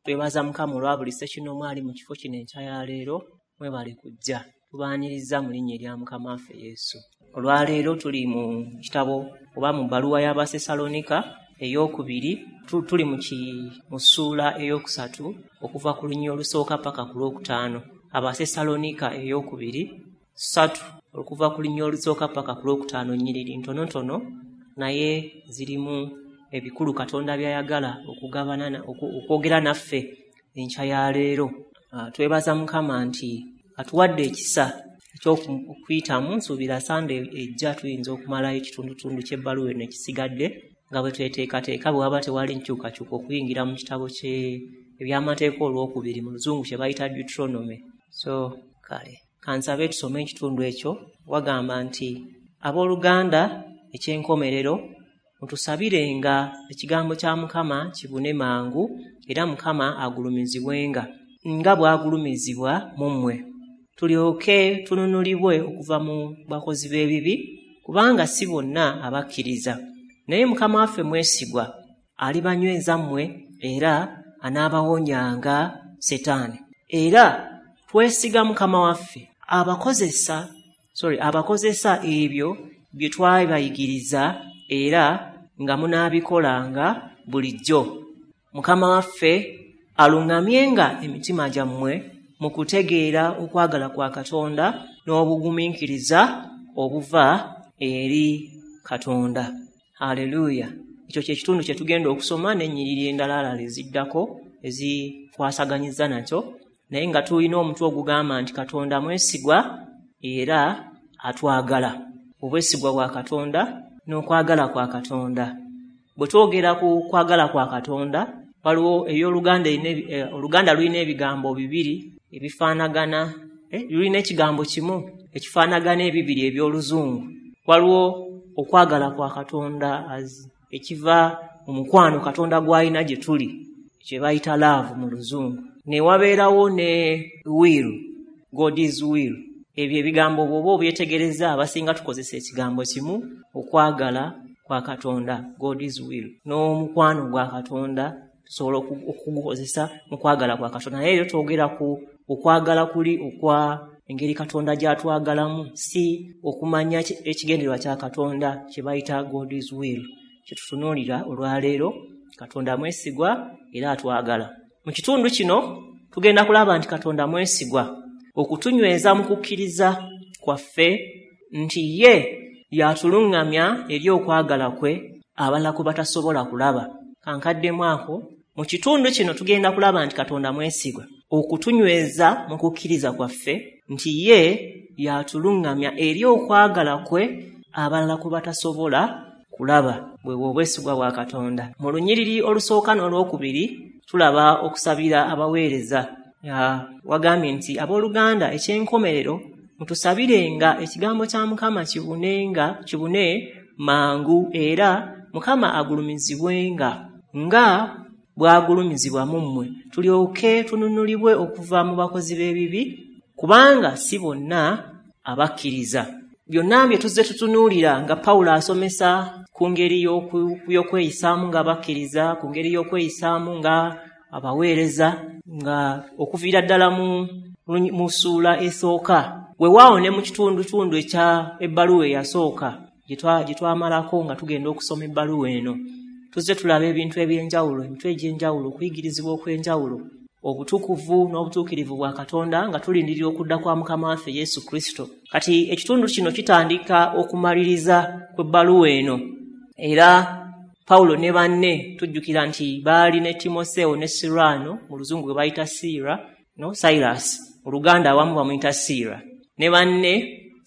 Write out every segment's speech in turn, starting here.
Twebaza Mukama olwa buli ssekinnoomu ali mu kifo kino enkya ya leero, mwebale kujja. Tubaaniriza mu linnya erya Mukama waffe Yesu. Olwaleero tuli mu kitabo oba mu bbaluwa y'Abasesalonika ey'okubiri, tuli mu ssuula 3 okuva ku lunyiriri olusooka paka ku lwokutaano. Abasesalonika ey'okubiri 3 okuva ku lunyiriri olusooka paka ku lwokutaano, nnyiriri ntonotono naye zirimu ebikulu Katonda by'ayagala okugabana okwogera naffe enkya ya leero. Twebaza Mukama nti atuwadde ekisa eky'okuyitamu. Nsuubira Sande ejja tuyinza okumalayo ekitundutundu ky'ebbaluwa eno ekisigadde nga bwe tweteekateeka, bwe waba tewali nkyukakyuka, okuyingira mu kitabo ebyamateeka olwokubiri, mu Luzungu kye bayita Deuteronomy. So kale kansabe tusome ekitundu ekyo. Wagamba nti, abooluganda, ekyenkomerero, mutusabirenga ekigambo kya Mukama kibune mangu, era Mukama agulumizibwenga nga bw'agulumizibwa mu mmwe, tulyoke tununulibwe okuva mu bakozi b'ebibi, kubanga si bonna abakkiriza. Naye Mukama waffe mwesigwa, alibanyweza mmwe era anaabawonyanga Setaani. Era twesiga Mukama waffe abakozesa ebyo bye twabayigiriza, era nga munaabikolanga bulijjo. Mukama waffe aluŋŋamyenga emitima gyammwe mu kutegeera okwagala kwa Katonda n'obugumiikiriza obuva eri Katonda. Haleluya. Ekyo kye kitundu kye tugenda okusoma n'ennyiriri endala eziddako ezikwasaganyiza nakyo, naye nga tulina omutwe ogugamba nti Katonda mwesigwa era atwagala. Obwesigwa bwa Katonda n'okwagala kwa Katonda. Bwe twogera ku kwagala kwa Katonda, waliwo eby'Oluganda, Oluganda lulina ebigambo bibiri ebifaanagana, lulina ekigambo kimu ekifaanagana ebibiri eby'Oluzungu. Waliwo okwagala kwa Katonda ekiva mu mukwano Katonda gw'alina gye tuli, kye bayita love mu Luzungu. Ne wabeerawo ne will, God's will. Ebyo ebigambo bw'oba obyetegereza, abasinga tukozesa ekigambo kimu, okwagala kwa Katonda, God's will, n'omukwano gwa Katonda tusobola okugukozesa mu kwagala kwa Katonda. Naye era twogera ku okwagala kuli okwa engeri Katonda gy'atwagalamu, si okumanya ekigendererwa kya Katonda kye bayita God's will, kye tutunuulira olwaleero. Katonda mwesigwa era atwagala. Mu kitundu kino tugenda kulaba nti Katonda mwesigwa okutunyweza mu kukkiriza kwaffe nti ye yatuluŋŋamya eri okwagala kwe abalala kwe batasobola kulaba. Kankaddemu ako. Mu kitundu kino tugenda kulaba nti Katonda mwesigwa okutunyweza mu kukkiriza kwaffe nti ye yatuluŋŋamya eri okwagala kwe abalala kwe batasobola kulaba. Bwe obwesigwa bwa Katonda. Mu lunyiriri olusooka n'olwokubiri tulaba okusabira abaweereza. Wagambye nti, abooluganda, ekyenkomerero, mutusabirenga ekigambo kya Mukama kibune mangu, era Mukama agulumizibwenga nga bw'agulumizibwa mu mmwe, tulyoke tununulibwe okuva mu bakozi b'ebibi, kubanga si bonna abakkiriza. Byonna bye tuzze tutunuulira nga Pawulo asomesa ku ngeri y'okweyisaamu ng'abakkiriza, ku ngeri y'okweyisaamu nga abaweereza, nga okuviira ddala mu ssuula esooka, weewaawo ne mu kitundutundu ekya ebbaluwa eyasooka gye twamalako nga tugenda okusoma ebbaluwa eno, tuzze tulaba ebintu eby'enjawulo, emitwe egy'enjawulo, okuyigirizibwa okw'enjawulo, obutukuvu n'obutuukirivu bwa Katonda nga tulindirira okudda kwa Mukama waffe Yesu Kristo. Kati ekitundu kino kitandika okumaliriza kw'ebbaluwa eno, era Pawulo ne banne tujjukira nti baali ne Timoseewo ne Sirwano, mu Luzungu gwe bayita Siira, no Silas, mu Luganda awamu bamuyita Siira, ne banne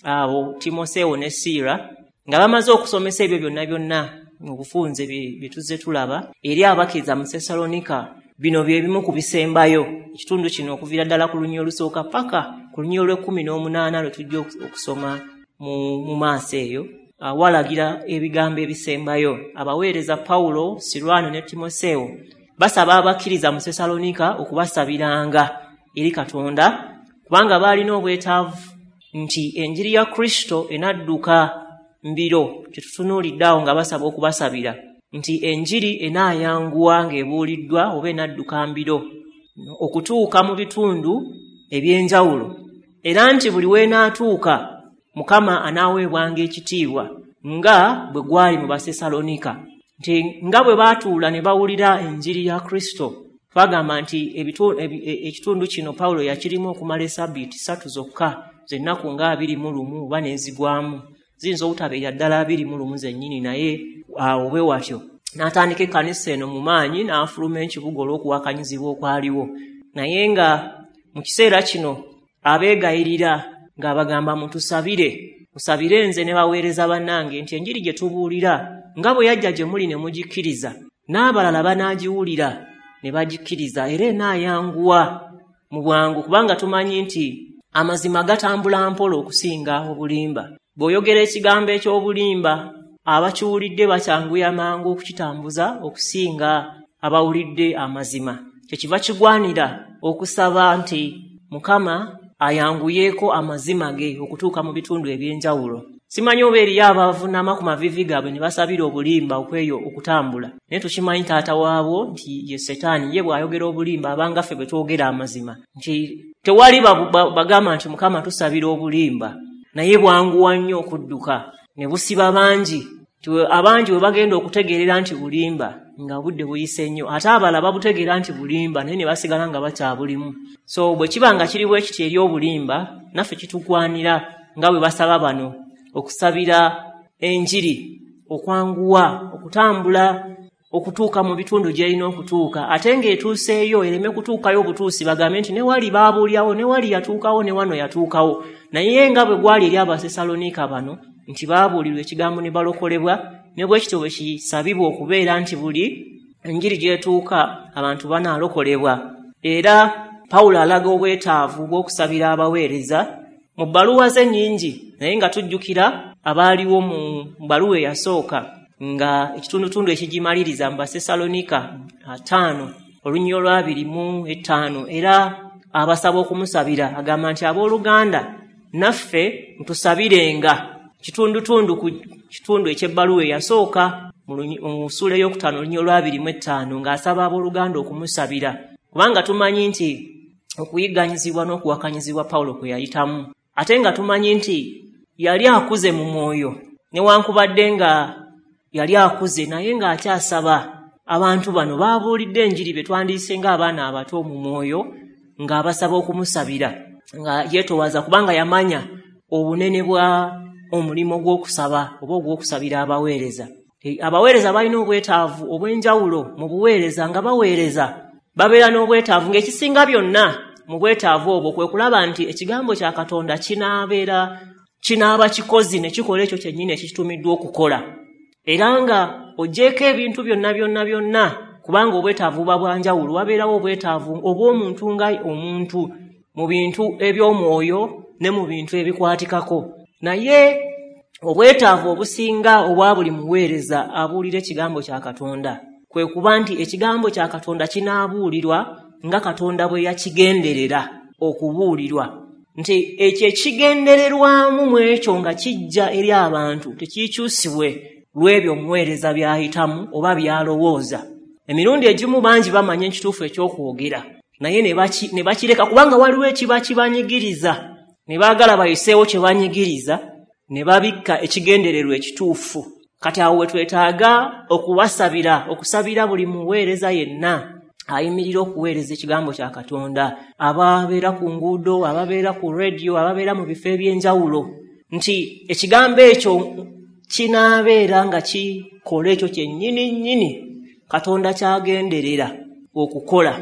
abo Timoseewo ne Siira nga bamaze okusomesa ebyo byonna byonna mu bufunze bye tuzze tulaba eri abakkiriza mu Sesalonika. Bino bye bimu ku bisembayo. Ekitundu kino okuviira ddala ku lunyiriri olusooka paka ku lunyiriri olw'18 lwe tujja okusoma mu maaso eyo, walagira ebigambo ebisembayo. Abaweereza Pawulo, Sirwano ne Timoseewo basaba abakkiriza mu Sesalonika okubasabiranga eri Katonda, kubanga baalina obwetaavu nti enjiri ya Kristo enadduka mbiro. Kye tutunuulidde awo nga basaba okubasabira nti enjiri enaayanguwa ng'ebuuliddwa oba enadduka mbiro. okutuuka mu bitundu eby'enjawulo, era nti buli w'enaatuuka Mukama anaaweebwanga ekitiibwa nga bwe gwali mu Basesalonika, nti nga bwe baatuula ne bawulira enjiri ya Kristo. Twagamba nti ekitundu kino Pawulo yakirimu okumala esabbiiti 3 zokka, z'ennaku nga 21 oba n'ezigwamu, ziyinza obutabeera ddala 21 zennyini, naye awo bwe watyo n'atandika ekkanisa eno mu maanyi, n'afuluma ekibuga olw'okuwakanyizibwa okwaliwo. Naye nga mu kiseera kino abeegayirira ng'abagamba, mutusabire, musabire nze ne baweereza bannange nti enjiri gye tubuulira nga bwe yajja gye muli ne mugikkiriza, n'abalala banaagiwulira ne bagikkiriza, era enaayanguwa mu bwangu, kubanga tumanyi nti amazima gatambula mpola okusinga obulimba. Bw'oyogera ekigambo eky'obulimba, abakiwulidde bakyanguya mangu okukitambuza okusinga abawulidde amazima. Kyekiva kigwanira okusaba nti Mukama ayanguyeeko amazima ge okutuuka mu bitundu eby'enjawulo. Simanyi oba eriyo abavuunama ku maviivi gaabwe ne basabira obulimba okweyo okutambula, naye tukimanyi taata waabwo nti ye Setaani, ye bw'ayogera obulimba abanga ffe bwe twogera amazima, nti tewali bagamba nti Mukama tusabira obulimba, naye bwanguwa nnyo okudduka ne busiba bangi, nti abangi bwe bagenda okutegeerera nti bulimba nga budde buyise nnyo, ate abalala babutegeera nti bulimba naye ne basigala nga bakyabulimu. So bwe kiba nga kiri bwe kiti eri obulimba, naffe kitugwanira nga bwe basaba bano okusabira enjiri okwanguwa okutambula okutuuka mu bitundu gy'erina okutuuka, ate ng'etuuseeyo ereme kutuukayo obutuusi bagambe nti ne wali baabuulyawo, ne wali yatuukawo, ne wano yatuukawo. Naye nga bwe gwali eri Abasesalonika bano nti baabuulirwa ekigambo ne balokolebwa, ne bwe kityo bwe kisabibwa okubeera nti buli enjiri gy'etuuka abantu banaalokolebwa. Era Pawulo alaga obwetaavu bw'okusabira abaweereza mu bbaluwa ze nnyingi, naye nga tujjukira abaaliwo mu bbaluwa eyasooka nga ekitundutundu ekigimaliriza mu Basesalonika 5 olunyiriri olwa 25, era abasaba okumusabira, agamba nti abooluganda naffe mutusabirenga. Kitundutundu ku kitundu eky'ebbaluwa eyasooka mu ssuula ey'okutaano olunyiriri olwa 25, ng'asaba abooluganda okumusabira, kubanga tumanyi nti okuyigganyizibwa n'okuwakanyizibwa Pawulo kwe yayitamu, ate nga tumanyi nti yali akuze mu mwoyo, newankubadde nga yali akuze naye ng'akyasaba abantu bano baabuulidde enjiri be twandiise ng'abaana abato mu mwoyo, ng'abasaba okumusabira, nga yeetowaza kubanga yamanya obunene bwa omulimu gw'okusaba oba ogw'okusabira abaweereza. Abaweereza balina obwetaavu obw'enjawulo mu buweereza, nga baweereza babeera n'obwetaavu, ng'ekisinga byonna mu bwetaavu obwo kwe kulaba nti ekigambo kya Katonda kinaaba kikozi ne kikola ekyo kyennyini ekitumiddwa okukola. Era nga oggyeeko ebintu byonna byonna byonna, kubanga obwetaavu buba bwa njawulo, wabeerawo obwetaavu obw'omuntu nga omuntu mu bintu eby'omwoyo ne mu bintu ebikwatikako. Naye obwetaavu obusinga obwa buli muweereza abuulira ekigambo kya Katonda kwe kuba nti ekigambo kya Katonda kinaabuulirwa nga Katonda bwe yakigenderera okubuulirwa, nti ekyo ekigendererwamu mu ekyo nga kijja eri abantu tekikyusibwe lw'ebyo omuweereza by'ayitamu oba by'alowooza. Emirundi egimu bangi bamanya ekituufu eky'okwogera, naye ne bakireka kubanga waliwo ekiba kibanyigiriza, ne baagala bayiseewo kye banyigiriza, ne babikka ekigendererwa ekituufu. Kati awo we twetaaga okubasabira, okusabira buli muweereza yenna ayimirira okuweereza ekigambo kya Katonda, ababeera ku nguudo, ababeera ku rediyo, ababeera mu bifo eby'enjawulo, nti ekigambo ekyo kinaabeera nga kikola ekyo kyennyini nnyini Katonda ky'agenderera okukola.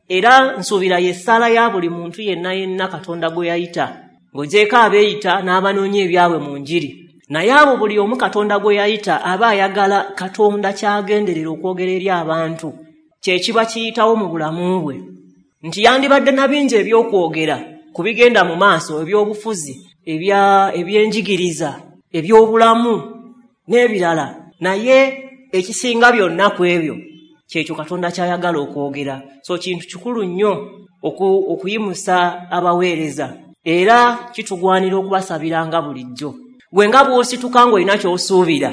Era nsuubira y'essaala ya buli muntu yenna yenna Katonda gwe yayita, ng'ogyeko abeeyita n'abanoonya ebyabwe mu njiri, naye abo buli omu Katonda gwe yayita aba ayagala Katonda ky'agenderera okwogera eri abantu kye kiba kiyitawo mu bulamu bwe, nti yandibadde na bingi eby'okwogera ku bigenda mu maaso, eby'obufuzi, ebyenjigiriza, eby'obulamu n'ebirala, naye ekisinga byonna ku ebyo kyekyo Katonda ky'ayagala okwogera. So kintu kikulu nnyo okuyimusa abaweereza, era kitugwanira okubasabiranga bulijjo. Gwe nga bw'osituka ng'olina ky'osuubira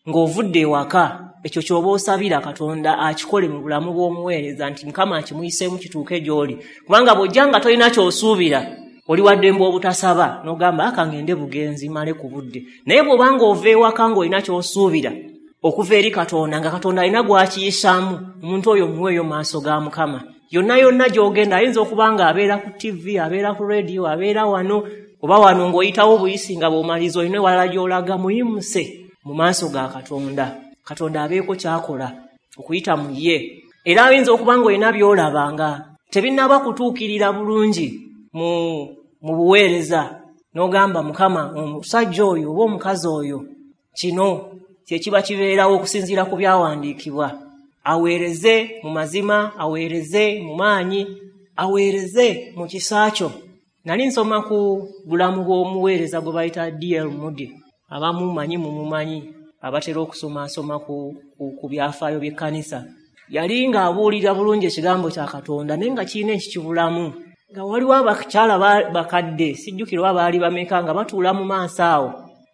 ng'ovudde ewaka, Ekyo ky'oba osabira Katonda akikole mu bulamu bw'omuweereza, nti Mukama akimuyiseemu kituuke gy'oli. Kubanga bw'ojja nga tolina ky'osuubira, oli wa ddembe obutasaba, n'ogamba aka ngende bugenzi male ku budde. Naye bw'oba ng'ova ewaka ng'olina ky'osuubira okuva eri Katonda, nga Katonda alina gw'akiyisaamu, omuntu oyo muweeyo mu maaso ga Mukama. Yonna yonna gy'ogenda, ayinza okuba ng'abeera ku TV, abeera ku radio, abeera wano oba wano ng'oyitawo obuyisi nga bw'omaliriza olina ewalala gy'olaga, muyimuse mu maaso ga Katonda. Katonda abeeko ky'akola okuyita mu ye. Era ayinza okuba ng'olina by'olaba nga tebinnaba kutuukirira bulungi mu buweereza, n'ogamba Mukama, omusajja oyo oba omukazi oyo kino kye kiba kibeerawo okusinziira ku byawandiikibwa. Aweereze mu mazima, aweereze mu maanyi, aweereze mu kisa kyo. Nali nsoma ku bulamu bw'omuweereza gwe bayita D.L. Moody. Abamu manyi mumumanyi, abatera okusomasoma ku byafaayo by'ekkanisa. Yali ng'abuulira bulungi ekigambo kya Katonda, naye nga kirina ekikibulamu. Nga waliwo abakyala bakadde, sijjukira oba baali bameka, nga batuula mu maaso awo,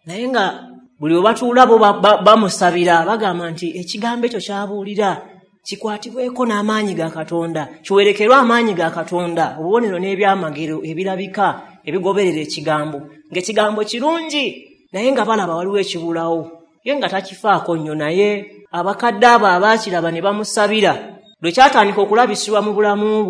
naye nga buli we batuula bo bamusabira, bagamba nti ekigambo ekyo ky'abuulira kikwatibweko n'amaanyi ga Katonda, kiwerekerwe amaanyi ga Katonda, obubonero n'ebyamagero ebirabika ebigoberera ekigambo. Ng'ekigambo kirungi, naye nga balaba waliwo ekibulawo. Ye nga takifaako nnyo, naye abakadde abo abaakiraba ne bamusabira. Lwe kyatandika okulabisibwa mu bulamu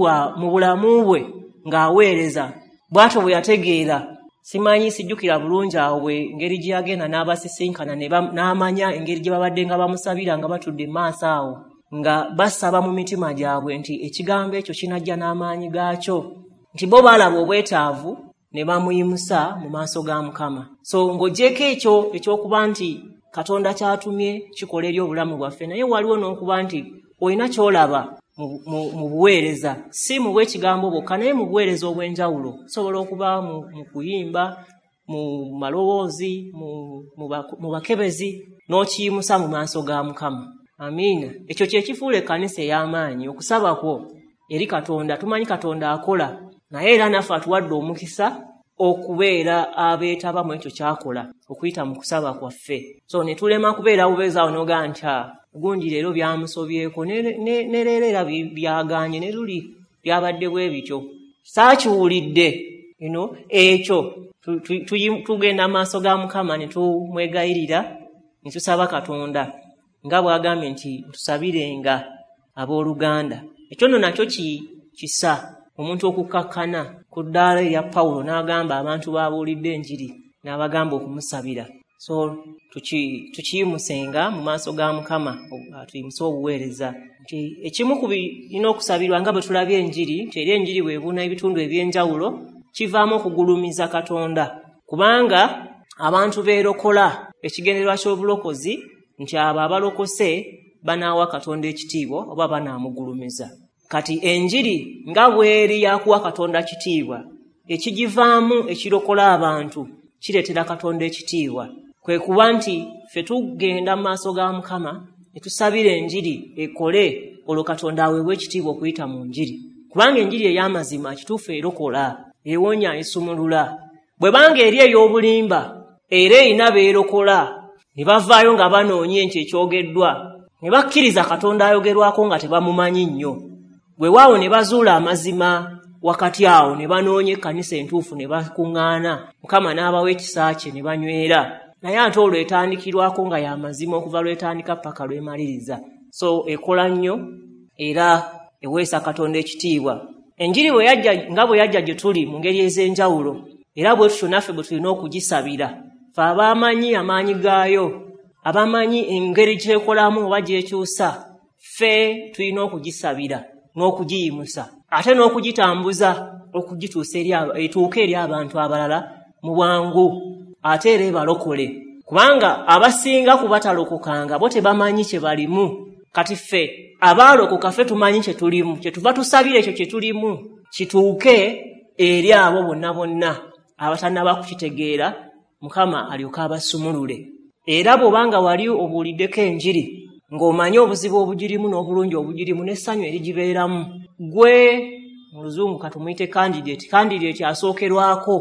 bwe ng'aweereza, bw'atyo bwe yategeera. Simanyi, sijjukira bulungi awo bwe engeri gye yagenda n'abasisinkana n'amanya engeri gye babadde nga bamusabira nga batudde mu maaso awo, nga basaba mu mitima gyabwe nti ekigambo ekyo kinajja n'amaanyi gaakyo, nti bo baalaba obwetaavu ne bamuyimusa mu maaso ga Mukama. So ng'oggyeko ekyo ekyokuba nti Katonda ky'atumye kikola eri obulamu bwaffe, naye waliwo n'okuba nti olina ky'olaba mu buweereza, si mu bw'ekigambo bwokka, naye mu buweereza obw'enjawulo. Osobola okuba mu kuyimba, mu maloboozi, mu bakebezi, n'okiyimusa mu maaso ga Mukama. Amiina. Ekyo kye kifuula ekkanisa ey'amaanyi, okusaba kwo eri Katonda. Tumanyi Katonda akola, naye era naffe atuwadde omukisa okubeera abeetaba mu ekyo ky'akola okuyita mu kusaba kwaffe. So ne tulema kubeera bubeezi awo n'ogamba nti gundi leero byamusobyeko, ne leero era byagaanye, ne luli byabadde bwe bityo, saakiwulidde. Ekyo tugenda mu maaso ga Mukama ne tumwegayirira, ne tusaba Katonda nga bw'agambye nti tusabirenga abooluganda. Ekyo nno nakyo kisa omuntu okukkakkana ku ddaala erya Pawulo n'agamba abantu b'abuulidde enjiri n'abagamba okumusabira. So tukiyimusenga mu maaso ga Mukama, tuyimuse obuweereza. Nti ekimu ku birina okusabirwa nga bwe tulabye enjiri, nti eri enjiri bw'ebuna ebitundu eby'enjawulo, kivaamu okugulumiza Katonda. Kubanga abantu beerokola, ekigendererwa ky'obulokozi nti abo abalokose banaawa Katonda ekitiibwa oba banaamugulumiza. Kati enjiri nga bw'eri yakuwa Katonda kitiibwa, ekigivaamu ekirokola abantu kireetera Katonda ekitiibwa. Kwe kuba nti ffe tugenda mu maaso ga Mukama ne tusabira enjiri ekole, olwo Katonda aweebwe ekitiibwa okuyita mu njiri. Kubanga enjiri ey'amazima kituufu erokola, ewonya, esumulula. Bwe banga eri ey'obulimba, era erina beerokola, ne bavaayo nga banoonya ekyo ekyogeddwa, ne bakkiriza Katonda ayogerwako nga tebamumanyi nnyo. Weewaawo ne bazuula amazima wakati awo, ne banoonya ekkanisa entuufu ne bakuŋŋaana, Mukama n'abawa ekisa kye ne banywera. Naye ate olwo etandikirwako nga y'amazima okuva lw'etandika paka lw'emaliriza. So ekola nnyo era eweesa Katonda ekitiibwa. Enjiri bwe yajja nga bwe yajja gye tuli mu ngeri ez'enjawulo, era bwe tutyo naffe bwe tulina okugisabira. Ffe abamanyi amaanyi gaayo, abamanyi engeri gy'ekolamu oba gy'ekyusa, ffe tulina okugisabira n'okugiyimusa, ate n'okugitambuza okugituusa etuuke eri abantu abalala mu bwangu, ate era ebalokole. Kubanga abasinga ku batalokokanga bo tebamanyi kye balimu. Kati ffe abaalokoka ffe tumanyi kye tulimu, kye tuva tusabira ekyo kye tulimu kituuke eri abo bonna bonna abatannaba kukitegeera, Mukama alyoke abasumulule. Era bw'obanga wali obuuliddeko enjiri ng'omanyi obuzibu obugirimu n'obulungi obugirimu n'essanyu erigibeeramu, gwe mu Luzungu katumuyite candidate, candidate asookerwako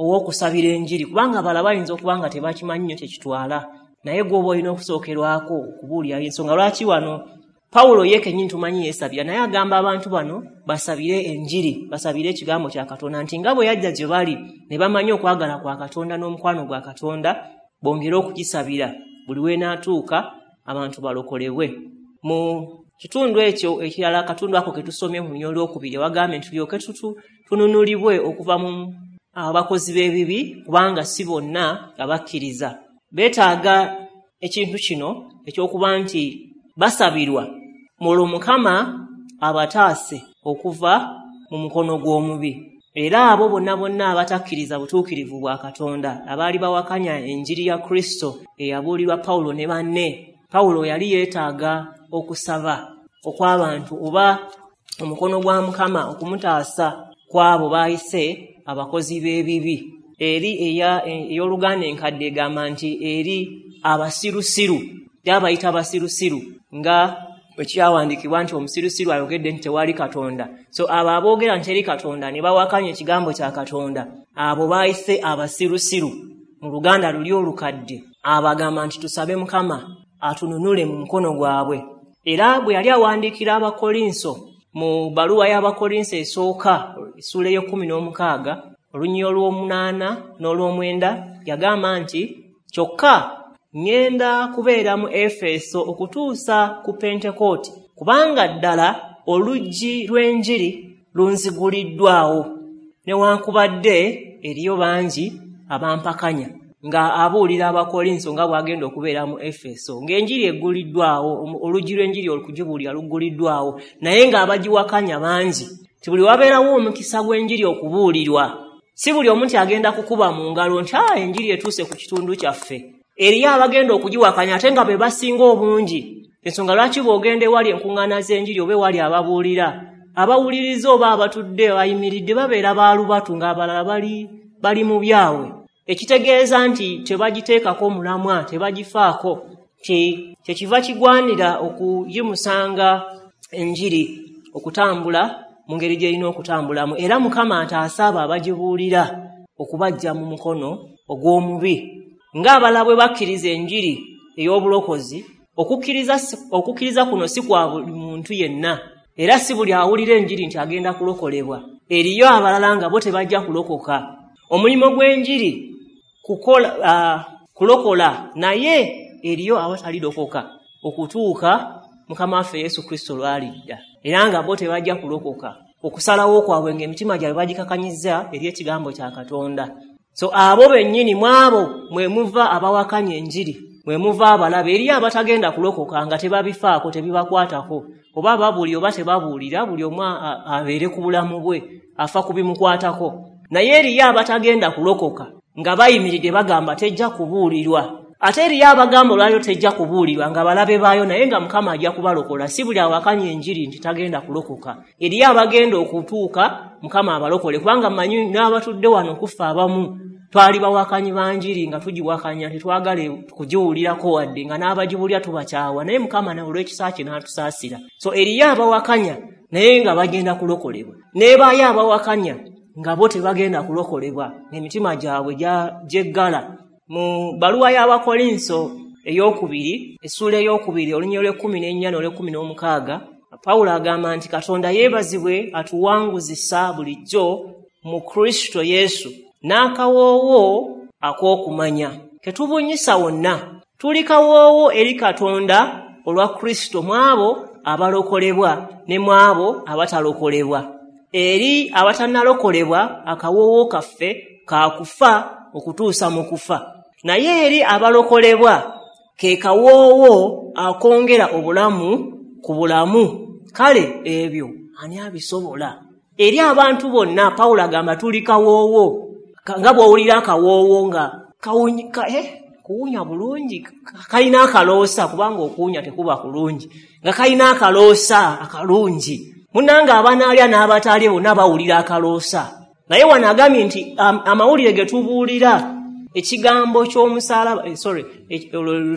ow'okusabira enjiri, kubanga abalala bayinza okuba nga tebakimanyi nnyo kye kitwala. Naye gw'oba olina okusookerwako okubuulira ensonga lwaki wano Pawulo ye kennyini tumanyi yeesabira, naye agamba abantu bano basabire enjiri, basabire ekigambo kya Katonda, nti nga bwe yajja gye bali ne bamanya okwagala kwa Katonda n'omukwano gwa Katonda, bongere okugisabira buli w'enaatuuka abantu balokolebwe. Mu kitundu ekyo ekirala, akatundu ako ke tusomye mu lunyiriri olwokubiri, wagambye nti tulyoke tununulibwe okuva mu abakozi b'ebibi, kubanga si bonna abakkiriza. Beetaaga ekintu kino ekyokuba nti basabirwa mulwo Mukama abataase okuva mu mukono gw'omubi. Era abo bonna bonna abatakkiriza butuukirivu bwa Katonda, abaali bawakanya enjiri ya Kristo eyabuulirwa Pawulo ne banne, Pawulo yali yeetaaga okusaba okw'abantu oba omukono gwa Mukama okumutaasa kw'abo baayise abakozi b'ebibi. Eri ey'Oluganda enkadde egamba nti eri abasirusiru, yabayita abasirusiru nga bwe kyawandiikibwa nti omusirusiru ayogedde nti tewali Katonda. So abo aboogera nti teri Katonda ne bawakanya ekigambo kya Katonda, abo baayise abasirusiru mu Luganda luli olukadde, abagamba nti tusabe Mukama atununule mu mukono gwabwe. Era bwe yali awandiikira Abakolinso mu bbaluwa y'Abakolinso esooka essuula ey'e16 olunyiriri olw'omunaana n'olw'omwenda, yagamba nti kyokka ŋŋenda kubeera mu Efeso okutuusa ku Pentekooti, kubanga ddala oluggi lw'enjiri lunziguliddwawo, newankubadde eriyo bangi abampakanya. Nga abuulira Abakolinso nga bw'agenda okubeera mu Efeso, ng'enjiri egguliddwawo, oluggi lw'enjiri okugibuulira lugguliddwawo, naye ng'abagiwakanya bangi. Ti buli wabeerawo omukisa gw'enjiri okubuulirwa, si buli omu nti agenda kukuba mu ngalo nti enjiri etuuse ku kitundu kyaffe. Eriyo abagenda okugiwakanya ate nga be basinga obungi. Ensonga lwaki bw'ogenda ewali enkuŋŋaana z'enjiri oba ewali ababuulira, abawuliriza oba abatudde bayimiridde babeera baalubatu ng'abalala bali mu byabwe, ekitegeeza nti tebagiteekako mulamwa, tebagifaako. Kyekiva kigwanira okuyimusanga enjiri okutambula mu ngeri gy'erina okutambulamu, era Mukama ataasa abo abagibuulira okubaggya mu mukono ogw'omubi. Ng'abalala bwe bakkiriza enjiri ey'obulokozi, okukkiriza kuno si kwa buli muntu yenna, era si buli awulira enjiri nti agenda kulokolebwa. Eriyo abalala nga bo tebajja kulokoka. Omulimu gw'enjiri kulokola, naye eriyo abatalirokoka okutuuka Mukama waffe Yesu Kristo lw'alidda, era nga bo tebajja kulokoka. Okusalawo kwabwe ng'emitima gyabwe bagikakanyizza eri ekigambo kya Katonda. So abo bennyini mu abo mwe muva abawakanya enjiri, mwe muva abalabe. Eriyo abatagenda kulokoka nga tebabifaako, tebibakwatako, oba babuulira oba tebabuulira, buli omu abeere ku bulamu bwe, afa ku bimukwatako. Naye eriyo abatagenda kulokoka nga bayimiridde bagamba tejja kubuulirwa. Ate eriyo abagamba olwaliro tejja kubuulirwa nga balabe baayo, naye nga Mukama ajja kubalokola. Si buli awakanya enjiri nti tagenda kulokoka. Eriyo abagenda okutuuka Mukama abalokole, kubanga mmanyi n'abatudde wano kufa abamu twali bawakanyi ba njiri nga tugiwakanya, tetwagala kugiwulirako wadde, nga n'abagiwulira tubakyawa, naye Mukama olw'ekisa kye n'atusaasira. So eriyo abawakanya naye nga bagenda kulokolebwa, n'ebaayo abawakanya nga bo tebagenda kulokolebwa, emitima gyabwe gyeggala. Mu bbaluwa y'Abakolinso ey'okubiri essuula ey'okubiri olunyiriri olw'e14 n'olw'e16, Pawulo agamba nti Katonda yeebazibwe atuwanguzisa bulijjo mu Kristo Yesu n'akawoowo ak'okumanya ketubunyisa wonna. Tuli kawoowo eri Katonda olwa Kristo mu abo abalokolebwa ne mu abo abatalokolebwa. Eri abatannalokolebwa akawoowo kaffe ka kufa okutuusa mu kufa, naye eri abalokolebwa ke kawoowo akongera obulamu ku bulamu. Kale ebyo ani abisobola? Eri abantu bonna Pawulo agamba tuli kawoowo, nga bw'owulira akawoowo nga kuwunya bulungi, kalina akaloosa, kubanga okuwunya tekuba kulungi, nga kalina akaloosa akalungi. Munnange abanaalya n'abataalye bonna bawulira akaloosa. Naye wano agambye nti amawulire ge tubuulira ekigambo ky'omusaalaba,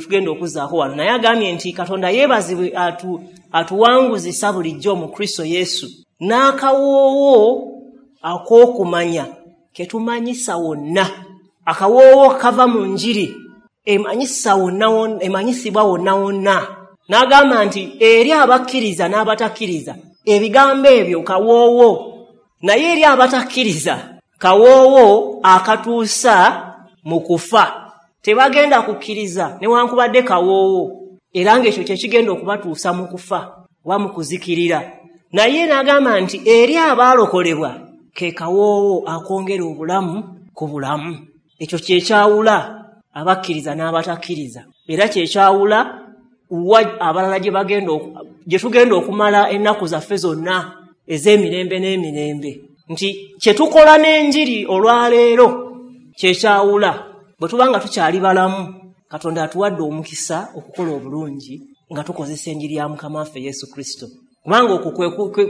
tugenda okuzzaako wano, naye agambye nti Katonda yeebazibwe atuwanguzisa bulijjo mu Kristo Yesu n'akawoowo ak'okumanya ketumanyisa wonna. Akawoowo kava mu njiri. emanyisibwa wonna wonna. N'agamba nti eri abakkiriza n'abatakkiriza ebigambo ebyo kawoowo, naye eri abatakkiriza kawoowo akatuusa mu kufa. Tebagenda kukkiriza newankubadde kawoowo, era ng'ekyo kye kigenda okubatuusa mu kufa oba mu kuzikirira. Naye n'agamba nti eri abaalokolebwa ke kawoowo akwongera obulamu ku bulamu. Ekyo kye kyawula abakkiriza n'abatakkiriza, era kye kyawula wa abalala gye tugenda okumala ennaku zaffe zonna ez'emirembe n'emirembe. Nti kye tukola n'enjiri olwaleero kye kyawula. Bwe tuba nga tukyali balamu, Katonda atuwadde omukisa okukola obulungi nga tukozesa enjiri ya Mukama waffe Yesu Kristo, kubanga okwo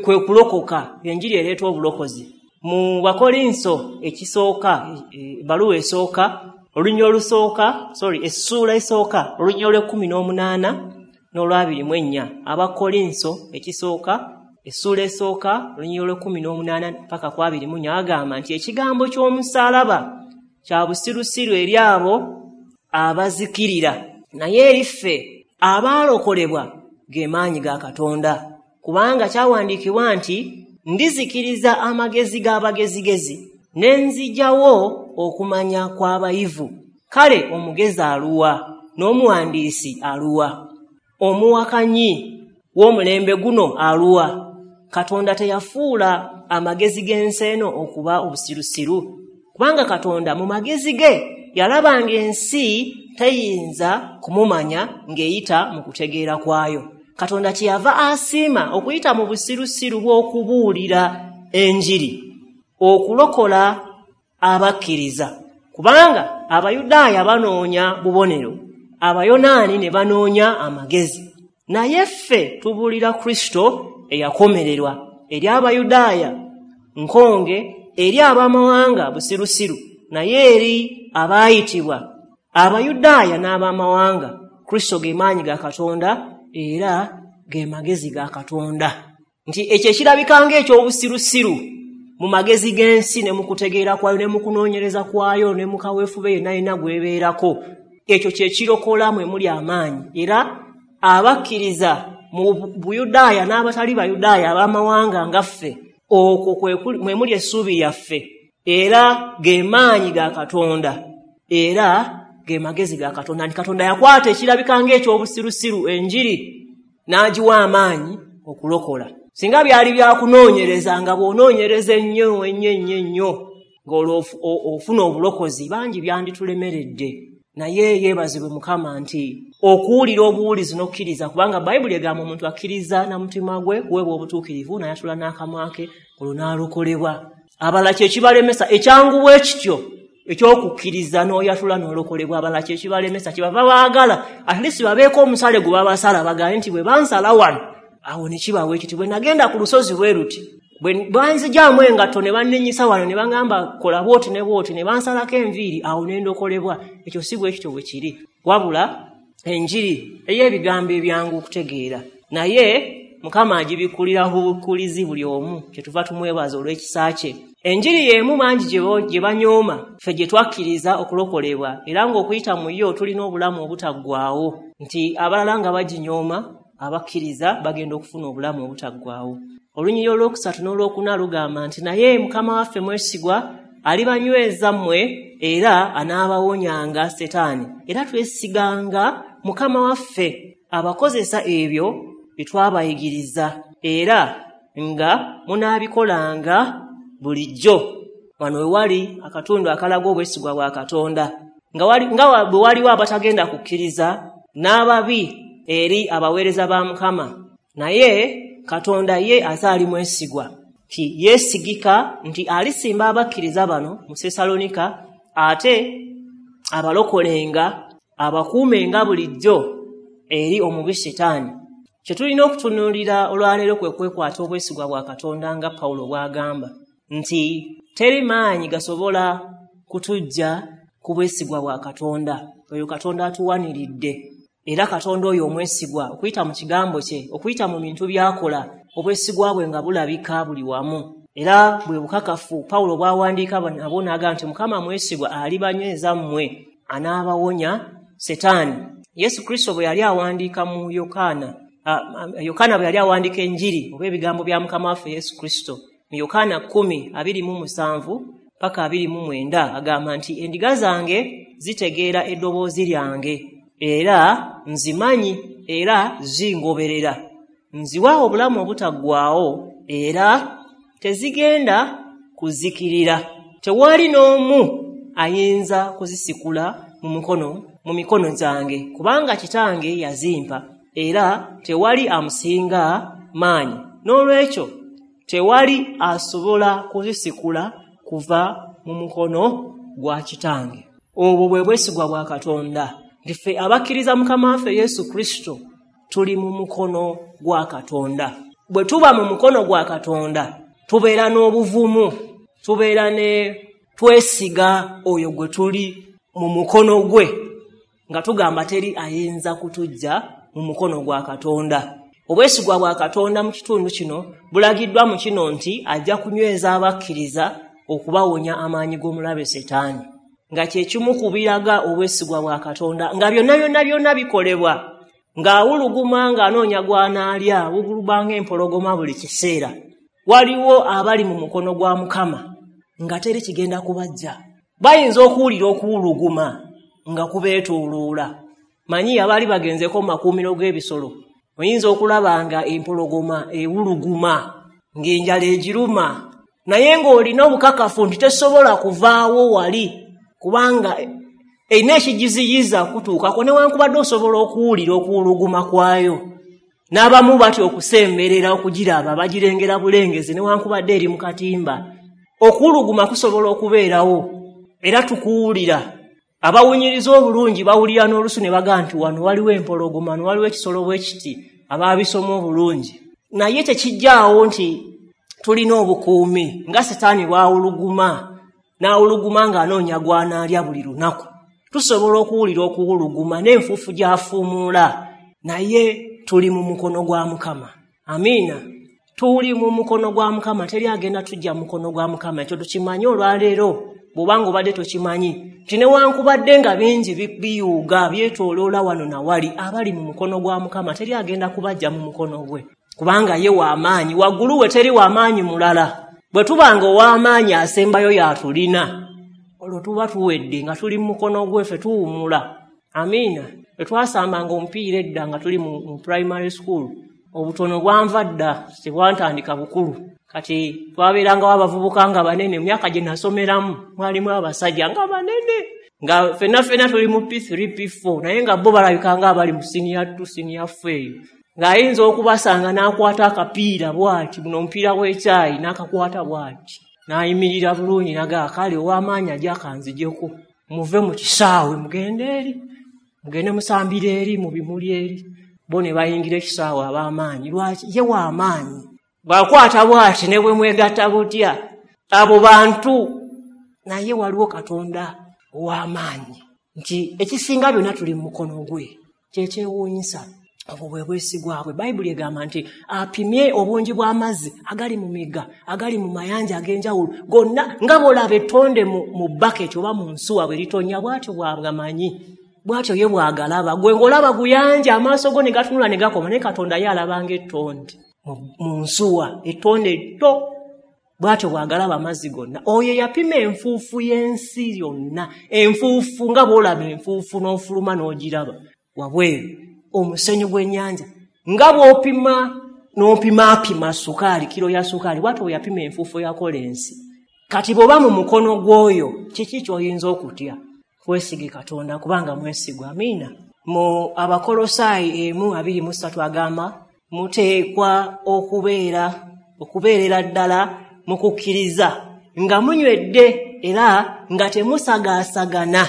kwe kulokoka. Enjiri ereeta obulokozi. Mu Bakolinso ekisooka, ebbaluwa esooka, essuula esooka, olunyiriri olw'e18 n'olw'24. Abakolinso ekisooka, essuula esooka, olunyiriri olw'e18 paka ku 24, agamba nti ekigambo ky'omusaalaba kya busirusiru eri abo abazikirira, naye eri ffe abaalokolebwa ge maanyi ga Katonda. Kubanga kyawandiikibwa nti ndizikiriza amagezi g'abagezigezi ne nzigyawo okumanya kw'abayivu. Kale omugezi aluwa n'omuwandiisi aluwa? Omuwakanyi w'omulembe guno aluwa? Katonda teyafuula amagezi g'ensi eno okuba obusirusiru, kubanga Katonda mu magezi ge yalabanga ensi teyinza kumumanya ng'eyita mu kutegeera kwayo. Katonda kyeyava asiima okuyita mu busirusiru bw'okubuulira enjiri okulokola abakkiriza, kubanga Abayudaaya banoonya bubonero, Abayonaani ne banoonya amagezi, naye ffe tubuulira Kristo eyakomererwa. Eri Abayudaaya nkonge, eri ab'amawanga busirusiru, naye eri abaayitibwa Abayudaaya n'ab'amawanga Kristo ge maanyi ga Katonda era ge magezi ga Katonda. Nti ekyo ekirabika ng'ekyobusirusiru mu magezi g'ensi ne mu kutegeera kwayo ne mu kunoonyereza kwayo ne mu kaweefube yenna yenna gwebeerako, ekyo kye kirokola mwe muli amaanyi. Era abakkiriza mu Buyudaaya n'abatali Bayudaaya ab'amawanga nga ffe, okwo mwe muli essuubi lyaffe, era ge maanyi ga Katonda era ge magezi ga Katonda. Nti Katonda yakwata ekirabika ng'ekyobusirusiru enjiri n'agiwa amaanyi okulokola. Singa byali byakunoonyereza, nga bw'onoonyereza ennyo ennyo ennyo ennyo ng'olwo ofuna obulokozi, bangi byanditulemeredde. Naye yeebazibwe Mukama nti okuwulira obuwulizi n'okkiriza, kubanga Bayibuli egamba omuntu akkiriza na mutima gwe kuweebwa obutuukirivu, n'ayatula n'akamwa ke olwo n'alokolebwa. Abalala kye kibalemesa ekyangu bwe kityo ekyokukkiriza n'oyatula n'olokolebwa, abalala kye kibalemesa kyebava baagala at least babeeko omusale gwe babasala, bagambe nti bwe bansala wano awo ne kibawo ekiti, bwe nagenda ku lusozi bwe luti, bwe banzigyamu engatto ne bannenyisa wano ne baŋŋamba kola bw'oti ne bw'oti ne bansalako enviiri, awo ne ndokolebwa. Ekyo si bwe kityo bwe kiri, wabula enjiri ey'ebigambo ebyangu okutegeera, naye Mukama agibikkulira bubikkulizi buli omu, kyetuva tumwebaza olw'ekisa kye. Enjiri y'emu bangi gye banyooma, ffe gye twakkiriza okulokolebwa, era ng'okuyita mu yo tulina obulamu obutaggwaawo. Nti abalala nga baginyooma, abakkiriza bagenda okufuna obulamu obutaggwaawo. Olunyiriri olwokusatu n'olwokuna lugamba nti naye Mukama waffe mwesigwa, alibanyweza mmwe era anaabawonyanga Setaani. Era twesiganga Mukama waffe abakozesa ebyo bye twabayigiriza, era nga munaabikolanga bulijjo. Wano we wali akatundu akalaga obwesigwa bwa Katonda, nga bwe waliwo abatagenda kukkiriza n'ababi eri abaweereza ba Mukama, naye Katonda ye azaali mwesigwa, nti yeesigika nti alisimba abakkiriza bano mu Sesalonika, ate abalokolenga abakuumenga bulijjo eri omubi Setaani. Kye tulina okutunuulira olwaleero kwe kwekwata obwesigwa bwa Katonda nga Pawulo bw'agamba nti teri maanyi gasobola kutuggya ku bwesigwa bwa Katonda. Oyo Katonda atuwaniridde, era Katonda oyo omwesigwa okuyita mu kigambo kye, okuyita mu bintu by'akola, obwesigwa bwe nga bulabika buli wamu. Era bwe bukakafu Pawulo bw'awandiika nabwo n'agamba nti Mukama mwesigwa, alibanyweza mmwe, anaabawonya Setaani. Yesu Kristo bwe yali awandiika mu Yokaana, Yokaana bwe yali awandiika enjiri oba ebigambo bya Mukama waffe Yesu Kristo mu Yokaana 10:27 paka 29 agamba nti endiga zange zitegeera eddoboozi lyange, era nzimanyi era zingoberera. Nziwa obulamu obutaggwaawo era tezigenda kuzikirira. Tewali n'omu ayinza kuzisikula mu mikono gyange, kubanga Kitange yazimpa, era tewali amusinga maanyi. N'olwekyo tewali asobola kuzisikula kuva mu mukono gwa Kitange. Obwo bwe bwesigwa bwa Katonda. Nti ffe abakkiriza Mukama waffe Yesu Kristo tuli mu mukono gwa Katonda. Bwe tuba mu mukono gwa Katonda tubeera n'obuvumu, tubeera ne twesiga oyo gwe tuli mu mukono gwe, nga tugamba teri ayinza kutujja mu mukono gwa Katonda. Obwesigwa bwa Katonda mu kitundu kino bulagiddwa mu kino nti ajja kunyweza abakkiriza okubawonya amaanyi g'omulabe Setaani, nga kye kimu ku biraga obwesigwa bwa Katonda, nga byonna byonna byonna bikolebwa ng'awuluguma ng'anoonya gw'anaalya, awuguluma ng'empologoma buli kiseera. Waliwo abali mu mukono gwa Mukama nga teri kigenda kubajja. Bayinza okuwulira okuwuluguma nga kubeetooloola. Manyi abaali bagenzeko mu makuumiro g'ebisolo, oyinza okulaba nga empologoma ewuluguma ng'enjala egiruma, naye ng'olina obukakafu nti tesobola kuvaawo wali, kubanga erina ekigiziyiza kutuukako, newankubadde osobola okuwulira okuwuluguma kwayo. N'abamu batya okusemberera okugiraba, bagirengera bulengezi newankubadde eri mu katimba. Okuwuluguma kusobola okubeerawo era tukuwulira. Abawunyiriza obulungi bawulira n'olusu ne bagamba nti wano waliwo empologoma, wano waliwo ekisolo bwe kiti, abaabisoma obulungi. Naye tekijjaawo nti tulina obukuumi nga Setaani bw'awuluguma, n'awuluguma ng'anoonya gw'anaalya buli lunaku. Tusobola okuwulira okuwuluguma n'enfuufu gy'afuumuula, naye tuli mu mukono gwa Mukama. Amiina. Tuli mu mukono gwa Mukama, teri agenda tujja mu mukono gwa Mukama. Ekyo tukimanyi olwaleero, bw'obanga obadde tokimanyi nti newankubadde nga bingi biyuuga byetooloola wano na wali, abali mu mukono gwa Mukama teri agenda kubajja mu mukono gwe, kubanga ye w'amaanyi. Waggulu we teri w'amaanyi mulala. Bwe tubanga ow'amaanyi asembayo y'atulina, olwo tuba tuwedde nga tuli mu mukono gwe, ffe tuwummula. Amiina. Bwe twasambanga omupiira edda nga tuli mu primary school, obutono bwanva dda, tebwantandika bukulu. Kati twabeerangawo abavubuka nga banene. Mu myaka gye nasomeramu mwalimu abasajja nga banene, nga ffenna ffenna tuli mu P3 P4, naye nga bo balabika nga abali mu senior 2 senior 4 eyo, ng'ayinza okubasanga n'akwata akapiira bw'ati, buno omupiira gw'ekyayi n'akakwata bw'ati, n'ayimirira bulungi n'agamba kale ow'amaanyi ajja akanzijeko, muve mu kisaawe mugende eri, mugende musambire eri mu bimuli eri. Bo ne bayingira ekisaawe ab'amaanyi. Lwaki? Ye w'amaanyi. Bw'akwata bw'ati ne bwe mwegatta butya, abo bantu. Naye waliwo Katonda ow'amaanyi nti ekisinga byonna tuli mu mukono gwe. Kyekyewuunyisa. Obwo bwe bwesigwa bwe. Bayibuli egamba nti apimye obungi bw'amazzi agali mu migga, agali mu mayanja ag'enjawulo gonna, nga bw'olaba ettonde mu baketi oba mu nsuwa bwe litonnya, bw'atyo bw'agamanyi, bw'atyo ye bw'agalaba. Gwe ng'olaba guyanja, amaaso go ne gatunula ne gakoma, naye Katonda ye alaba ng'ettonde mu nsuwa, ettonde etto, bw'atyo bw'agalaba amazzi gonna. Oyo yapima enfuufu y'ensi yonna, enfuufu nga bw'olaba enfuufu n'ofuluma n'ogiraba wabweru, omusenyu gw'ennyanja nga bw'opima n'opimaapima sukaali, kiro ya sukaali, bw'atyo bwe yapima enfuufu yakola ensi. Kati bw'oba mu mukono gw'oyo, kiki ky'oyinza okutya? Twesige Katonda kubanga mwesigwa. Amiina. Mu Abakolosaayi 1:23 agamba muteekwa okubeerera ddala mu kukkiriza, nga munywedde era nga temusagaasagana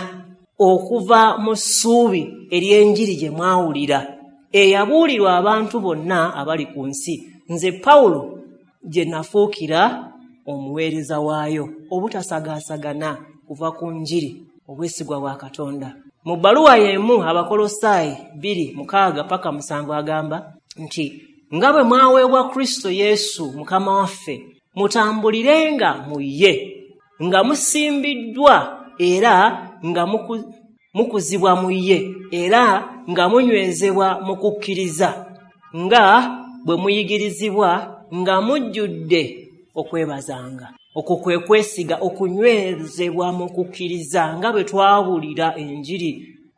okuva mu ssuubi ery'enjiri gye mwawulira, eyabuulirwa abantu bonna abali ku nsi, nze Pawulo gye nafuukira omuweereza waayo. Obutasagaasagana kuva ku njiri, obwesigwa bwa Katonda. Mu bbaluwa y'emu Abakolosaayi 2:6-7 agamba nti nga bwe mwaweebwa Kristo Yesu Mukama waffe, mutambulirenga mu ye, nga musimbiddwa era nga mukuzibwa mu ye era nga munywezebwa mu kukkiriza, nga bwe muyigirizibwa, nga mujjudde okwebazanga. Okwo kwe kwesiga, okunywezebwa mu kukkiriza, nga bwe twawulira enjiri,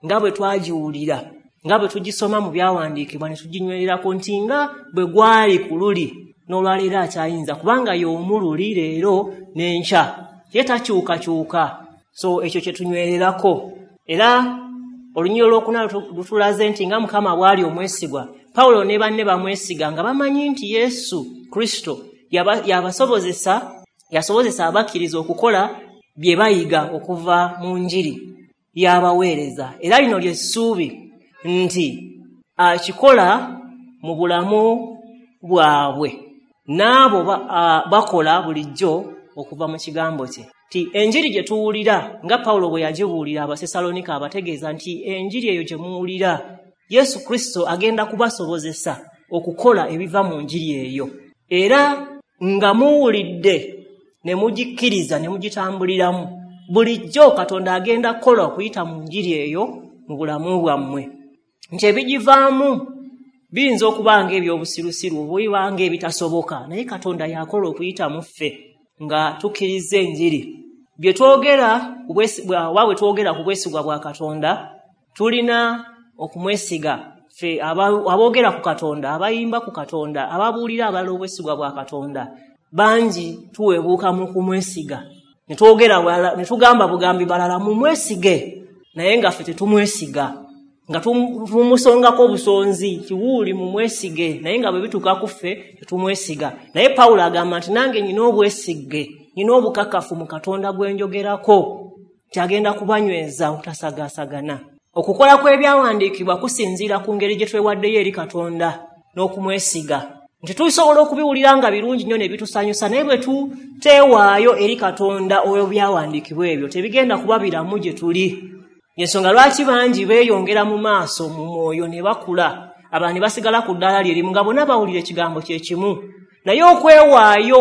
nga bwe twagiwulira, nga bwe tugisoma mu byawandiikibwa ne tuginywererako, nti nga bwe gwali ku luli n'olwaleero akyayinza, kubanga y'omu luli leero n'enkya, ye takyukakyuka. So ekyo kye tunywererako. Era olunyiriri olwokuna lutulaze nti nga Mukama bw'ali omwesigwa, Pawulo ne banne bamwesiga nga bamanyi nti Yesu Kristo yasobozesa abakkiriza okukola bye bayiga okuva mu njiri y'abaweereza. Era lino ly'essuubi nti akikola mu bulamu bwabwe n'abo bakola bulijjo okuva mu kigambo kye. Nti enjiri gye tuwulira nga Pawulo bwe yagibuulira Abasesalonika, abategeeza nti enjiri eyo gye muwulira, Yesu Kristo agenda kubasobozesa okukola ebiva mu njiri eyo. Era nga muwulidde ne mugikkiriza ne mugitambuliramu, bulijjo Katonda agenda kukola okuyita mu njiri eyo mu bulamu bwammwe. Nti ebigivaamu biyinza okuba ng'ebyobusirusiru oba ng'ebitasoboka, naye Katonda yakola okuyita mu ffe nga tukkiriza enjiri. Bye twogera oba bwe twogera ku bwesigwa bwa Katonda, tulina okumwesiga. Ffe aboogera ku Katonda, abayimba ku Katonda, ababuulira abalala obwesigwa bwa Katonda, bangi tuweebuuka mu kumwesiga. Ne twogera ne tugamba bugambi balala mumwesige, naye nga ffe tetumwesiga, nga tumusongako obusonzi kiwuuli mumwesige, naye nga bwe bituuka ku ffe tetumwesiga. Naye Pawulo agamba nti nange nnina obwesige, nnina obukakafu mu Katonda gwe njogerako, nti agenda kubanyweza obutasagaasagana. Okukola kw'ebyawandiikibwa kusinziira ku ngeri gye twewaddeyo eri Katonda n'okumwesiga. Nti tusobola okubiwulira nga birungi nnyo ne bitusanyusa, naye bwe tuteewaayo eri Katonda oyo byawandiikibwa ebyo tebigenda kuba biramu gye tuli. Ensonga lwaki bangi beeyongera mu maaso mu mwoyo ne bakula, abalala ne basigala ku ddaala lye limu nga bonna bawulira ekigambo kye kimu. Naye okwewaayo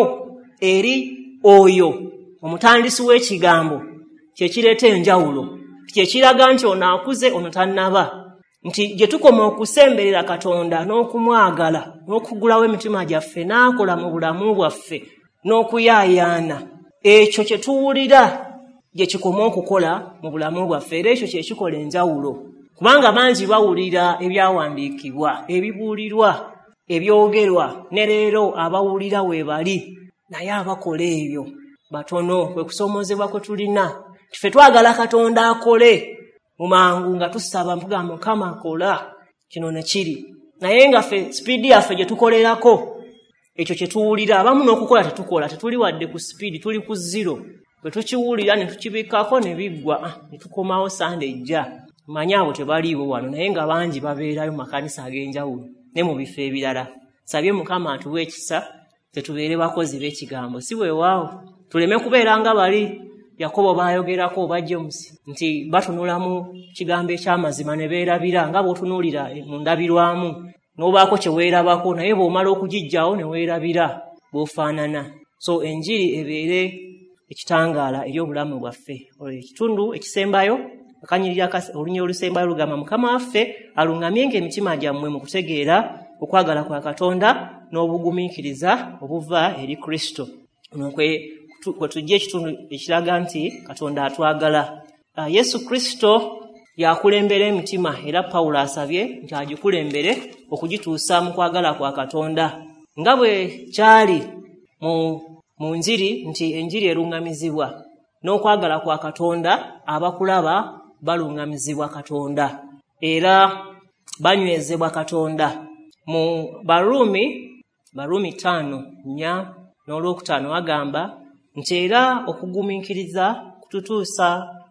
eri oyo omutandisi w'ekigambo kye kireeta enjawulo, kye kiraga nti ono akuze, ono tannaba. Nti gye tukoma okusemberera Katonda n'okumwagala n'okugulawo emitima gyaffe n'akola mu bulamu bwaffe n'okuyaayaana, ekyo kye tuwulira gye kikoma okukola mu bulamu bwaffe, era ekyo kye kikola enjawulo. Kubanga bangi bawulira ebyawandiikibwa, ebibuulirwa, ebyogerwa, ne leero abawulira we bali, naye abakola ebyo batono. Kwe kusoomoozebwa kwe tulina. Ffe twagala Katonda akole mu mangu, nga tusaba mpugamba Mukama akola kino ne kiri, naye nga ffe sipiidi yaffe gye tukolerako ekyo kye tuwulira, abamu n'okukola tetukola, tetuli wadde ku sipiidi, tuli ku zero. Bwe tukiwulira ne tukibikkako ne biggwa, ne tukomawo Sande ejja. Mmanyi abo tebaliiwo wano, naye nga bangi babeerayo mu makanisa ag'enjawulo ne mu bifo ebirala. Nsabye Mukama atuwe ekisa tetubeere bakozi b'ekigambo, si weewaawo tuleme kubeera nga bali Yakobo baayogerako oba James nti batunula mu kigambo eky'amazima ne beerabira, nga bw'otunuulira mu ndabirwamu n'obaako kye weerabako, naye bw'omala okugiggyawo ne weerabira bw'ofaanana. So enjiri ebeere ekitangaala eri obulamu bwaffe. Ekitundu ekisembayo, akanyiriri olunyiriri olusembayo lugamba, Mukama waffe aluŋŋamyenga emitima gyammwe mu kutegeera okwagala kwa Katonda n'obugumiikiriza obuva eri Kristo. Ono kwe tujja ekitundu ekiraga nti Katonda atwagala. Yesu Kristo yakulembera emitima, era Pawulo asabye nti agikulembere okugituusa mu kwagala kwa Katonda, nga bwe kyali mu njiri nti enjiri eruŋŋamizibwa n'okwagala kwa Katonda, abakulaba baluŋŋamizibwa Katonda era banywezebwa Katonda. Mu Baruumi 5:4 n'olwokutaano agamba nti era okugumiikiriza kututuusa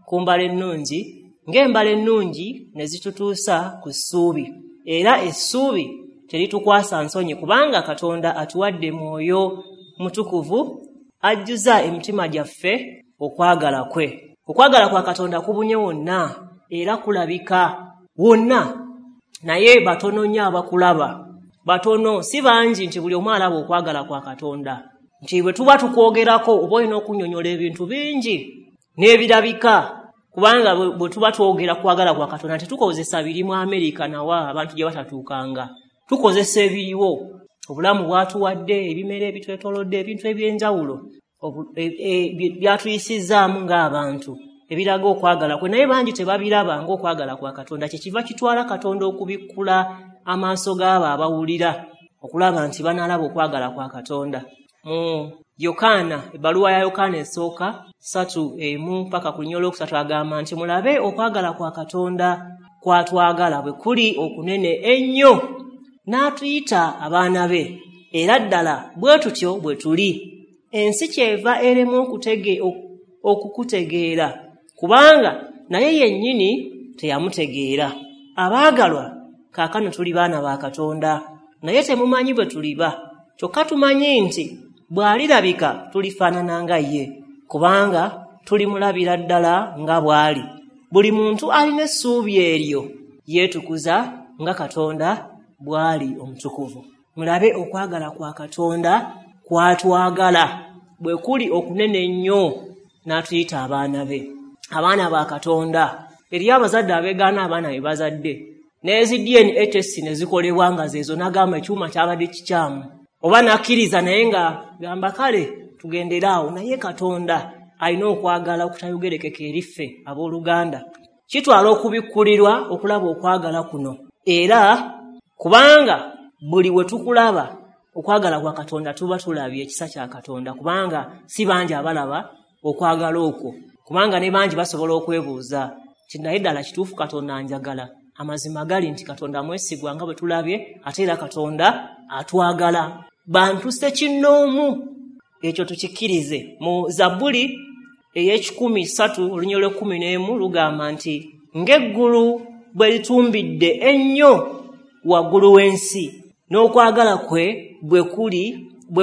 ku mbala ennungi, ng'embala ennungi ne zitutuusa ku ssuubi, era essuubi teritukwasa nsonyi, kubanga Katonda atuwadde Mwoyo Mutukuvu ajjuza emitima gyaffe okwagala kwe. Okwagala kwa Katonda kubunye wonna era kulabika wonna, naye batono nnyo abakulaba, batono, si bangi nti buli omu alaba okwagala kwa Katonda. Nti bwe tuba tukwogerako oba olina okunnyonnyola ebintu bingi n'ebirabika, Kubanga bwe tuba twogera kwagala kwa Katonda tetukozesa biri mu Amerika nawa abantu gye batatuukanga, tukozesa ebiriwo, obulamu bwatuwadde, ebimera ebitwetoolodde, ebintu eby'enjawulo byatuyisizaamu ng'abantu ebiraga okwagala kwe, naye bangi tebabiraba ng'okwagala kwa Katonda. Kyekiva kitwala Katonda okubikkula amaaso g'abo abawulira okulaba nti banaalaba okwagala kwa Katonda. Mu Yokaana, ebbaluwa ya Yokaana esooka 3:1 paka ku lunyiriri olwokusatu agamba nti mulabe okwagala kwa Katonda kwatwagala bwe kuli okunene ennyo, n'atuyita abaana be, era ddala bwe tutyo bwe tuli. Ensi kyeva erema okukutegeera, kubanga naye yennyini teyamutegeera. Abaagalwa, kaakano tuli baana ba Katonda, naye temumanyi bwe tuliba. Kyokka tumanyi nti bw'alirabika tulifaanana nga ye, kubanga tulimulabira ddala nga bw'ali. Buli muntu alina essuubi eryo yeetukuza nga Katonda bw'ali omutukuvu. Mulabe okwagala kwa Katonda kwatwagala bwe kuli okunene ennyo, n'atuyita abaana be, abaana ba Katonda. Eriyo abazadde abeegaana abaana be bazadde, n'ezi DNA test ne zikolebwa nga zeezo, n'agamba ekyuma kyabadde kikyamu, oba n'akkiriza naye nga gamba kale tugendere awo. Naye Katonda alina okwagala okutayogerekeka eri ffe abooluganda. Kitwala okubikkulirwa okulaba okwagala kuno, era kubanga buli we tukulaba okwagala kwa Katonda tuba tulabye ekisa kya Katonda, kubanga si bangi abalaba okwagala okwo, kubanga ne bangi basobola okwebuuza nti naye ddala kituufu Katonda anjagala. Amazima gali nti Katonda mwesigwa nga bwe tulabye, ate era Katonda atwagala bantu ssekinnoomu. Ekyo tukikkirize. Mu Zabbuli ey'ekikumsatu olunyiriri olw'ekkumi n'emu lugamba nti ng'eggulu bwe litumbidde ennyo waggulu w'ensi, n'okwagala kwe bwe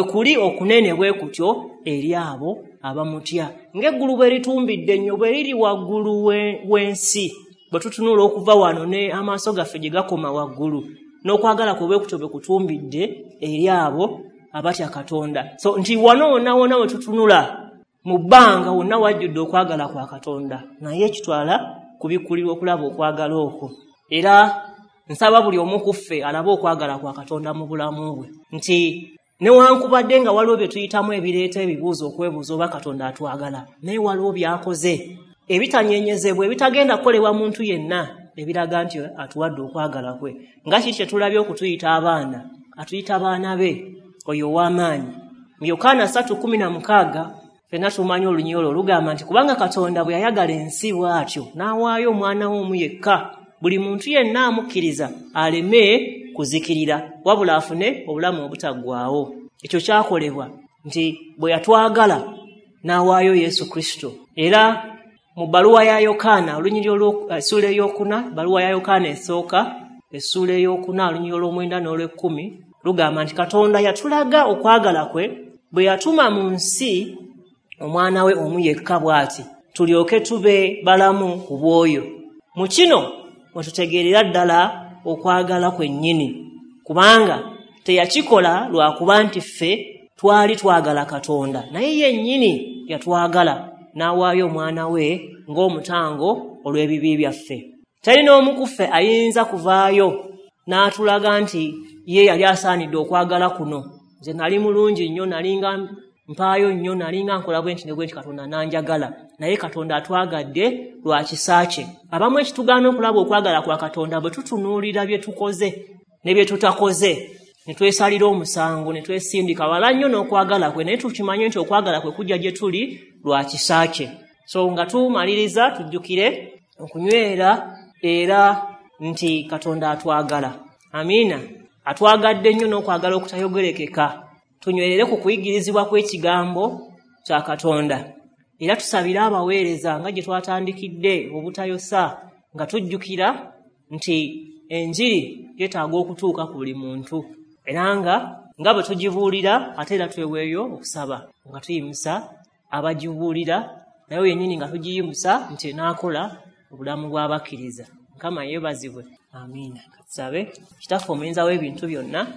kuli okunene bwe kutyo eri abo abamutya. Ng'eggulu bwe litumbidde ennyo, bwe liri waggulu w'ensi, bwe tutunula okuva wano ne amaaso gaffe gye gakoma waggulu, n'okwagala kwe bwe kutyo bwe kutumbidde eri abo abatya Katonda. So nti wano wonna wonna we tutunula mu bbanga wonna wajjudde okwagala kwa Katonda, naye kitwala kubikkulirwa okulaba okwagala okwo. Era nsaba buli omu ku ffe alabe okwagala kwa Katonda mu bulamu bwe, nti newankubadde nga waliwo bye tuyitamu ebireeta ebibuuzo okwebuuza oba Katonda atwagala, naye waliwo by'akoze ebitanyenyezebwa, ebitagenda kukolebwa muntu yenna, ebiraga nti atuwadde okwagala kwe. Nga kiki kye tulabye okutuyita abaana, atuyita baana be, oyo ow'amaanyi. Mu Yokaana 3:16 ffenna tumanyi olunyiriri olwo lugamba nti kubanga Katonda bwe yayagala ensi bw'atyo n'awaayo omwana we omu yekka, buli muntu yenna amukkiriza aleme kuzikirira, wabula afune obulamu obutaggwaawo. Ekyo kyakolebwa nti bwe yatwagala n'awaayo Yesu Kristo. Era mu bbaluwa ya Yokaana olunyiriri essuula ey'okuna, bbaluwa ya Yokaana esooka essuula ey'okuna olunyiriri olw'omwenda n'olw'ekkumi lugamba nti Katonda yatulaga okwagala kwe bwe yatuma mu nsi omwana we omu yekka bw'ati, tulyoke tube balamu ku bw'oyo. Mu kino mwe tutegeerera ddala okwagala kwennyini, kubanga teyakikola lwakuba nti ffe twali twagala Katonda, naye yennyini yatwagala n'awaayo omwana we ng'omutango olw'ebibi byaffe. Teri n'omu ku ffe ayinza kuvaayo n'atulaga nti ye yali asaanidde okwagala kuno. Nze nali mulungi nnyo, nalinga mpaayo nnyo, nalinga nkola bwe nti ne bwe nti, Katonda n'anjagala. Naye Katonda atwagadde lwa kisa kye. Abamu ekitugaana okulaba okwagala kwa Katonda bwe tutunuulira bye tukoze ne bye tutakoze, ne twesalira omusango, ne twesindika wala nnyo n'okwagala kwe, naye tukimanye nti okwagala kwe kujja gye tuli lwa kisa kye. So nga tumaliriza tujjukire okunywera era nti Katonda atwagala. Amiina. Atwagadde nnyo n'okwagala okutayogerekeka. Tunywerere ku kuyigirizibwa kw'ekigambo kya Katonda. Era tusabire abaweereza nga gye twatandikidde obutayosa, nga tujjukira nti enjiri yeetaaga okutuuka ku buli muntu, era nga bwe tugibuulira ate era tweweeyo okusaba nga tuyimusa abagibuulira, naye yennyini nga tugiyimusa nti enaakola obulamu bw'abakkiriza. Mukama yeebazibwe. Amiina. Tusabe. Kitaffe omuyinza w'ebintu byonna,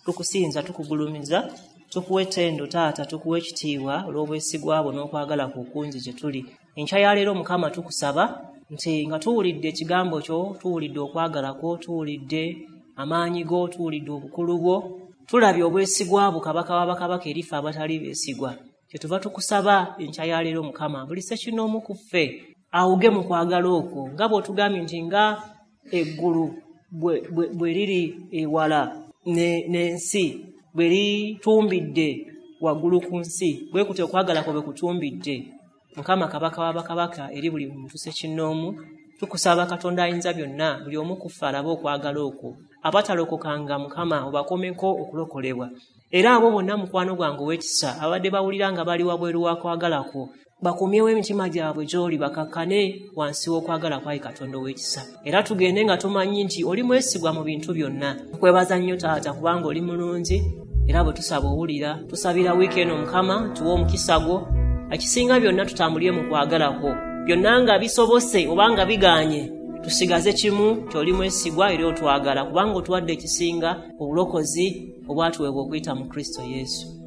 tukusinza, tukugulumiza, tukuwa ettendo taata, tukuwa ekitiibwa olw'obwesigwa bwo n'okwagala kwo okungi gye tuli. Enkya ya leero Mukama tukusaba nti nga tuwulidde ekigambo kyo, tuwulidde okwagala kwo, tuwulidde amaanyi go, tuwulidde obukulu bwo, tulabye obwesigwa bwo Kabaka w'abakabaka eri ffe abatali beesigwa. Kyetuva tukusaba enkya ya leero Mukama, buli ssekinnoomu ku ffe awuge mu kwagala okwo, nga bw'otugambye nti nga eggulu bwe liri ewala n'ensi, bwe litumbidde waggulu ku nsi, bwe kutyo okwagala kwo bwe kutumbidde. Mukama Kabaka w'abakabaka eri buli muntu ssekinnoomu, tukusaba Katonda ayinza byonna, buli omu ku ffe alabe okwagala okwo. Abatalokokanga Mukama obakomeko okulokolebwa. Era abo bonna mukwano gwange ow'ekisa abadde bawulira nga bali wabweru wa kwagala kwo, bakomyewo emitima gyabwe gy'oli, bakakkane wansi w'okwagala kwayi Katonda ow'ekisa. Era tugende nga tumanyi nti oli mwesigwa mu bintu byonna. Tukwebaza nnyo Taata kubanga oli mulungi, era bwe tusaba owulira. Tusabira wiiki eno Mukama, tuwe omukisa gwo. Ekisinga byonna tutambulire mu kwagala kwo. Byonna nga bisobose oba nga biganye, tusigaze kimu nti oli mwesigwa era otwagala, kubanga otuwadde ekisinga, obulokozi obwatuweebwa okuyita mu Kristo Yesu.